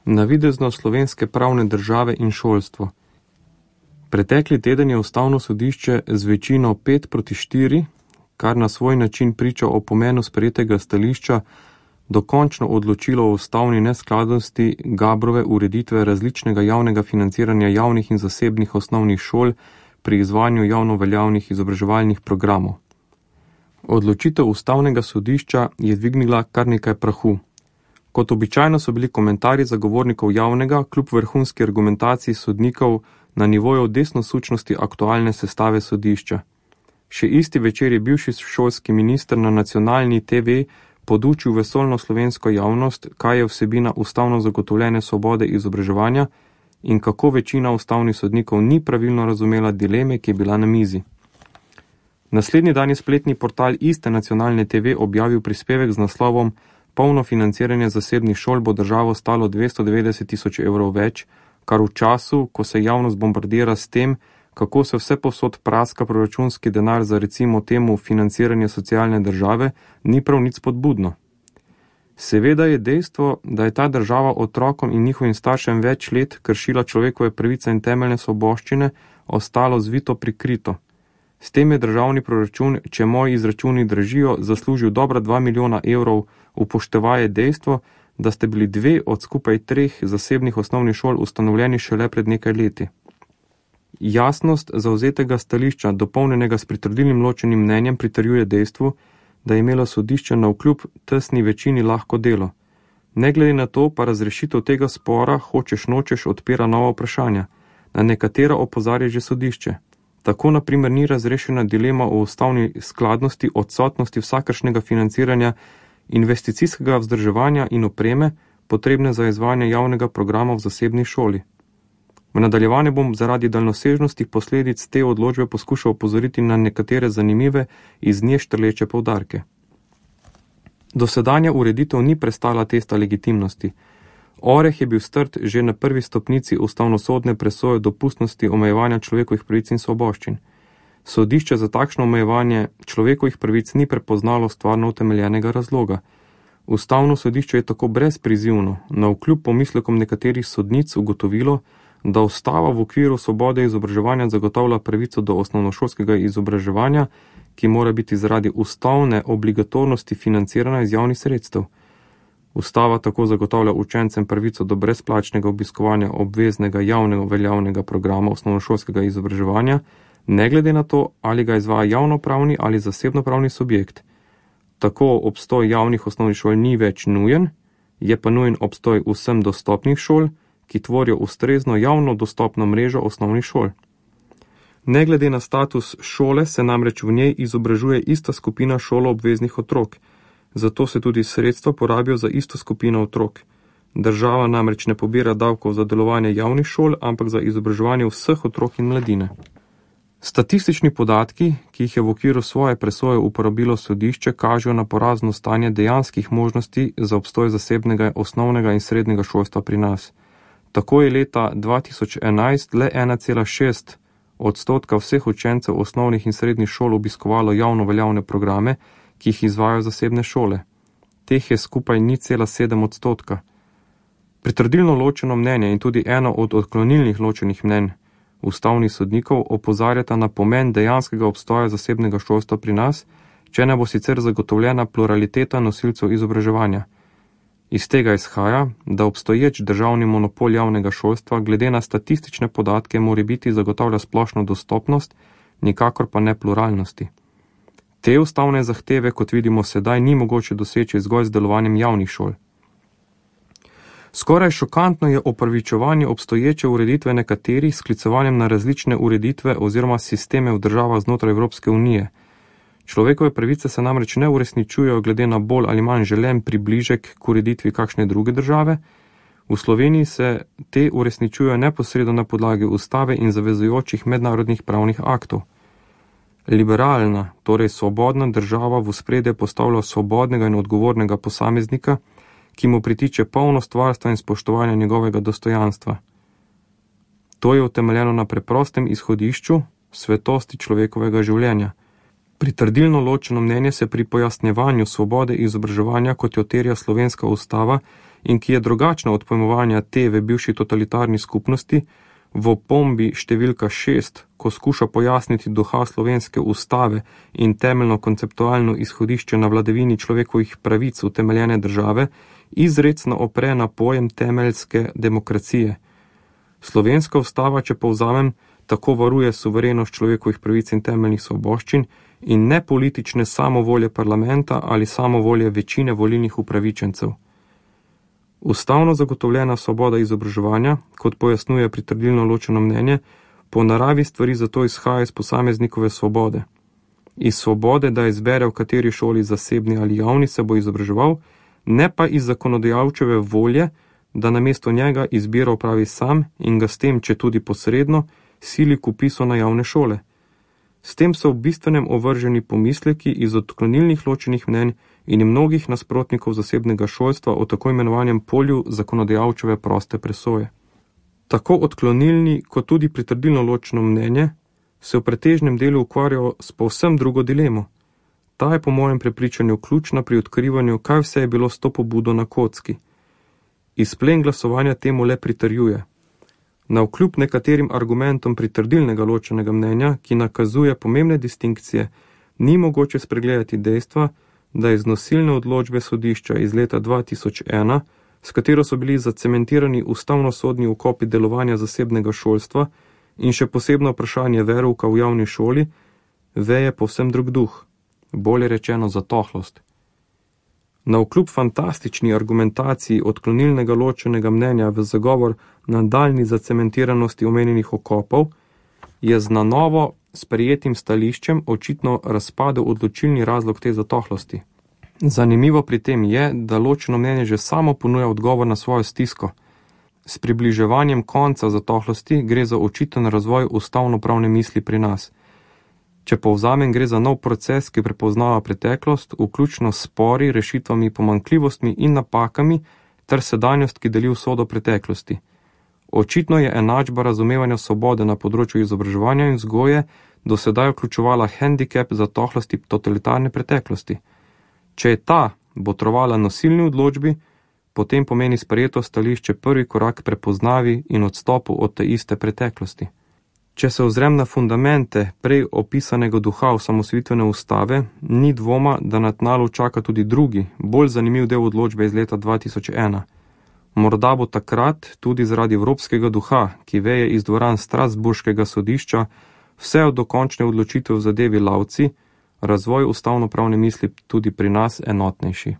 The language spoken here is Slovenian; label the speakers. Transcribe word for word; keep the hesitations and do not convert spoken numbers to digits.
Speaker 1: Navidezno slovenske pravne države in šolstvo. Pretekli teden je Ustavno sodišče z večino pet proti štiri, kar na svoj način priča o pomenu sprejetega stališča, dokončno odločilo o ustavni neskladnosti Gabrove ureditve različnega javnega financiranja javnih in zasebnih osnovnih šol pri izvajanju javno veljavnih izobraževalnih programov. Odločitev Ustavnega sodišča je dvignila kar nekaj prahu. Kot običajno so bili komentarji zagovornikov javnega, kljub vrhunski argumentaciji sodnikov, na nivoju desnosučnosti aktualne sestave sodišča. Še isti večer je bivši šolski minister na nacionalni te ve podučil vesoljno slovensko javnost, kaj je vsebina ustavno zagotovljene svobode izobraževanja in kako večina ustavnih sodnikov ni pravilno razumela dileme, ki je bila na mizi. Naslednji dan je spletni portal iste nacionalne te ve objavil prispevek z naslovom Polno financiranje zasebnih šol bo državo stalo dvesto devetdeset tisoč evrov več, kar v času, ko se javnost bombardira s tem, kako se vse posod praska proračunski denar za recimo temu financiranje socialne države, ni prav nič spodbudno. Seveda je dejstvo, da je ta država otrokom in njihovim staršem več let kršila človekove pravice in temeljne svoboščine, ostalo zvito prikrito. S tem je državni proračun, če moji izračuni držijo, zaslužil dobra dva milijona evrov, upoštevaje dejstvo, da ste bili dve od skupaj treh zasebnih osnovnih šol ustanovljeni šele pred nekaj leti. Jasnost zauzetega stališča, dopolnjenega s pritrdilnim ločenim mnenjem, pritrjuje dejstvu, da je imelo sodišče navkljub tesni večini lahko delo. Ne glede na to pa razrešitev tega spora, hočeš nočeš, odpira nova vprašanja, na nekatera opozarja že sodišče. Tako na primer ni razrešena dilema o ustavni skladnosti odsotnosti vsakršnega financiranja investicijskega vzdrževanja in opreme, potrebne za izvajanje javnega programa v zasebni šoli. V nadaljevanju bom zaradi daljnosežnosti posledic te odločbe poskušal opozoriti na nekatere zanimive iz nje štrleče poudarke. Dosedanja ureditev ni prestala testa legitimnosti. Oreh je bil strt že na prvi stopnici ustavnosodne presoje dopustnosti omejevanja človekovih pravic in svoboščin. Sodišče za takšno omejevanje človekovih pravic ni prepoznalo stvarno utemeljenega razloga. Ustavno sodišče je tako brezprizivno, navkljub pomislekom nekaterih sodnic, ugotovilo, da ustava v okviru svobode izobraževanja zagotavlja pravico do osnovnošolskega izobraževanja, ki mora biti zaradi ustavne obligatornosti financirana iz javnih sredstev. Ustava tako zagotavlja učencem pravico do brezplačnega obiskovanja obveznega javnega veljavnega programa osnovnošolskega izobraževanja, ne glede na to, ali ga izvaja javnopravni ali zasebnopravni subjekt. Tako obstoj javnih osnovnih šol ni več nujen, je pa nujen obstoj vsem dostopnih šol, ki tvorijo ustrezno javno dostopno mrežo osnovnih šol. Ne glede na status šole se namreč v njej izobražuje ista skupina šoloobveznih otrok, zato se tudi sredstva porabijo za isto skupino otrok. Država namreč ne pobira davkov za delovanje javnih šol, ampak za izobraževanje vseh otrok in mladine. Statistični podatki, ki jih je v okviru svoje presoje uporabilo sodišče, kažejo na porazno stanje dejanskih možnosti za obstoj zasebnega osnovnega in srednjega šolstva pri nas. Tako je leta dva tisoč enajst le ena cela šest odstotka vseh učencev osnovnih in srednjih šol obiskovalo javno veljavne programe, ki jih izvajajo zasebne šole. Teh je skupaj nič cela sedem odstotka. Pritrdilno ločeno mnenje in tudi eno od odklonilnih ločenih mnenj ustavnih sodnikov opozarjata na pomen dejanskega obstoja zasebnega šolstva pri nas, če ne bo sicer zagotovljena pluraliteta nosilcev izobraževanja. Iz tega izhaja, da obstoječ državni monopol javnega šolstva glede na statistične podatke morebiti zagotavlja splošno dostopnost, nikakor pa ne pluralnosti. Te ustavne zahteve, kot vidimo sedaj, ni mogoče doseči zgolj z delovanjem javnih šol. Skoraj šokantno je opravičevanje obstoječe ureditve nekaterih s sklicevanjem na različne ureditve oziroma sisteme v državah znotraj Evropske unije. Človekove pravice se namreč ne uresničujejo glede na bolj ali manj želen približek k ureditvi kakšne druge države. V Sloveniji se te uresničujejo neposredno na podlagi ustave in zavezujočih mednarodnih pravnih aktov. Liberalna, torej svobodna država v ospredje postavlja svobodnega in odgovornega posameznika, ki mu pritiče polnost varstva in spoštovanja njegovega dostojanstva. To je utemeljeno na preprostem izhodišču svetosti človekovega življenja. Pritrdilno ločeno mnenje se pri pojasnjevanju svobode izobraževanja, kot jo terja slovenska ustava, in ki je drugačna od pojmovanja te v bivši totalitarni skupnosti, v opombi številka šest, ko skuša pojasniti duha slovenske ustave in temeljno konceptualno izhodišče na vladavini človekovih pravic utemeljene države, izrecno opre na pojem temeljske demokracije. Slovenska ustava, če povzamem, tako varuje suverenost človekovih pravic in temeljnih svoboščin in ne politične samovolje parlamenta ali samovolje večine volilnih upravičencev. Ustavno zagotovljena svoboda izobraževanja, kot pojasnjuje pritrdilno ločeno mnenje, po naravi stvari zato izhaja iz posameznikove svobode. Iz svobode, da izbere, v kateri šoli, zasebni ali javni, se bo izobraževal, ne pa iz zakonodajalčeve volje, da namesto njega izbiro opravi sam in ga s tem, če tudi posredno, sili k vpisu na javne šole. S tem so v bistvenem ovrženi pomisleki iz odklonilnih ločenih mnenj in mnogih nasprotnikov zasebnega šolstva o tako imenovanjem polju zakonodajalčeve proste presoje. Tako odklonilni kot tudi pritrdilno ločeno mnenje se v pretežnem delu ukvarjajo s povsem drugo dilemo. Ta je po mojem prepričanju ključna pri odkrivanju, kaj vse je bilo s to pobudo na kocki. Izplen glasovanja temu le pritrjuje. Navkljub nekaterim argumentom pritrdilnega ločenega mnenja, ki nakazuje pomembne distinkcije, ni mogoče spregledati dejstva, da iz nosilne odločbe sodišča iz leta dva tisoč ena, s katero so bili zacementirani ustavnosodni okopi delovanja zasebnega šolstva in še posebno vprašanje verouka v javni šoli, veje povsem drug duh, bolje rečeno zatohlost. Navkljub fantastični argumentaciji odklonilnega ločenega mnenja v zagovor nadaljnji zacementiranosti omenjenih okopov, je z na novo sprejetim stališčem očitno razpadel odločilni razlog te zatohlosti. Zanimivo pri tem je, da ločeno mnenje že samo ponuja odgovor na svojo stisko. S približevanjem konca zatohlosti gre za očiten razvoj ustavnopravne misli pri nas. Če povzamem, gre za nov proces, ki prepoznava preteklost, vključno s spori, rešitvami, pomanjkljivostmi in napakami, ter sedanjost, ki deli usodo preteklosti. Očitno je enačba razumevanja svobode na področju izobraževanja in vzgoje do sedaj vključevala hendikep zatohlosti totalitarne preteklosti. Če je ta botrovala nosilni odločbi, potem pomeni sprejeto stališče prvi korak prepoznavi in odstopu od te iste preteklosti. Če se ozrem na fundamente prej opisanega duha osamosvojitvene ustave, ni dvoma, da na tnalu čaka tudi drugi, bolj zanimiv del odločbe iz leta dva tisoč ena. Morda bo takrat, tudi zaradi evropskega duha, ki veje iz dvoran Strasburškega sodišča, vse od dokončne odločitve v zadevi Lauci, razvoj ustavnopravne misli tudi pri nas enotnejši.